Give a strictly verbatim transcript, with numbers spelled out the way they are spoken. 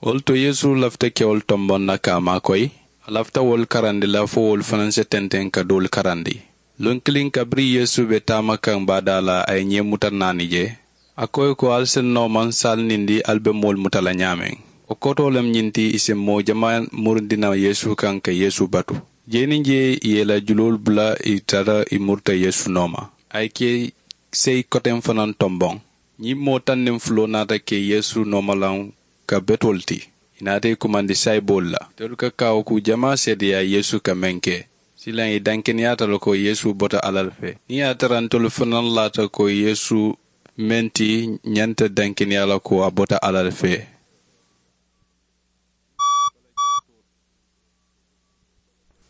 Wo le to yeesu lafita kewolu tomboŋ na ka a maakoyi. A lafita wolu karandi la fo wolu fanaŋ si tenteŋ ka doolu karandi. Luŋ kiliŋ kabiriŋ yeesu be taama kaŋ baadaa la a ye ñee muta naani je. A ko ì ko ali si noo maŋ saali niŋ di ali be moolu muta la ñaameŋ. Wo kootoo le mu ñiŋ ti ì si moo jamaa murundi naŋ yeesu kaŋ ka yeesu batu. Jee niŋ jee ì ye ì la juloolu bula ì tara ì muruta yeesu nooma. A ye ke seyi koteŋ fanaŋ tomboŋ. Ñiŋ moo taŋ niŋ fuloo naata ke yeesu noomalaŋ ka betoolu ti. Ì naata ì kumandi sayiboolu la ntolu ka kaawukuu jamaa seedeyaa yeesu ka meŋ ke. Silaŋ ì dankeneyaata le ko yeesu bota alla le fee niŋ ì ye a tara ntolu fanaŋ laata ko yeesu meŋ ti ñanta dankeneyaa la ko a bota alla le fee.